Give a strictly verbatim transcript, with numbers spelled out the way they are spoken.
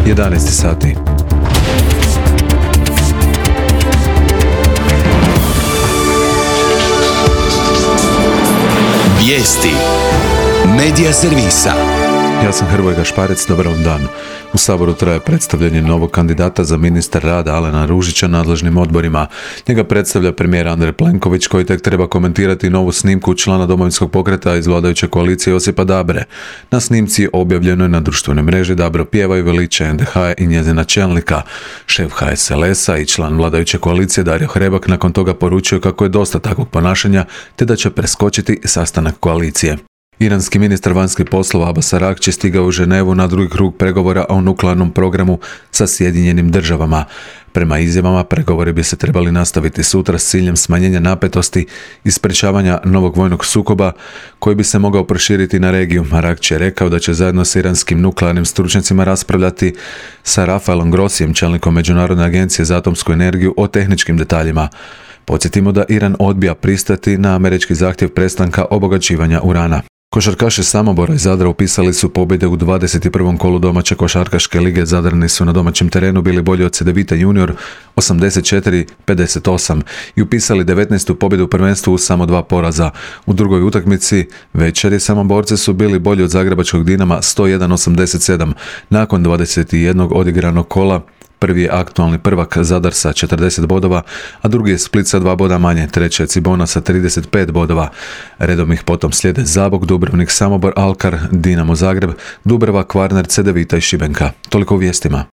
jedanaest sati. Vijesti Medija servisa. Ja sam Hrvoje Gašparec, dobar vam dan. U Saboru traje predstavljanje novog kandidata za ministra rada Alena Ružića nadležnim odborima. Njega predstavlja premijer Andrej Plenković, koji tek treba komentirati novu snimku člana Domovinskog pokreta iz vladajuće koalicije Josipa Dabre. Na snimci objavljeno je na društvenoj mreži Dabro pjeva i veliča en de ha i njezina čelnika. Šef ha es el es-a i član vladajuće koalicije Dario Hrebak nakon toga poručio kako je dosta takvog ponašanja, te da će preskočiti sastanak koalicije. Iranski ministar vanjskih poslova Abbas Araqči stigao u Ženevu na drugi krug pregovora o nuklearnom programu sa Sjedinjenim državama. Prema izjavama, pregovori bi se trebali nastaviti sutra s ciljem smanjenja napetosti i sprečavanja novog vojnog sukoba koji bi se mogao proširiti na regiju. Araqči je rekao da će zajedno s iranskim nuklearnim stručnjacima raspravljati sa Rafaelom Grossijem, čelnikom Međunarodne agencije za atomsku energiju, o tehničkim detaljima. Podsjetimo da Iran odbija pristati na američki zahtjev prestanka obogaćivanja urana. Košarkaši Samobora i Zadra upisali su pobjede u dvadeset prvom kolu domaće košarkaške lige. Zadrani su na domaćem terenu bili bolji od Cedevita Junior osamdeset četiri pedeset osam i upisali devetnaestu pobjedu u prvenstvu uz samo dva poraza. U drugoj utakmici večeri Samoborci su bili bolji od Zagrebačkog Dinama sto jedan osamdeset sedam. Nakon dvadeset jednog odigranog kola prvi je aktualni prvak Zadar sa četrdeset bodova, a drugi je Split sa dva boda manje, treći je Cibona sa trideset pet bodova. Redom ih potom slijede Zabok, Dubrovnik, Samobor, Alkar, Dinamo Zagreb, Dubrava, Kvarner, Cedevita i Šibenka. Toliko u vijestima.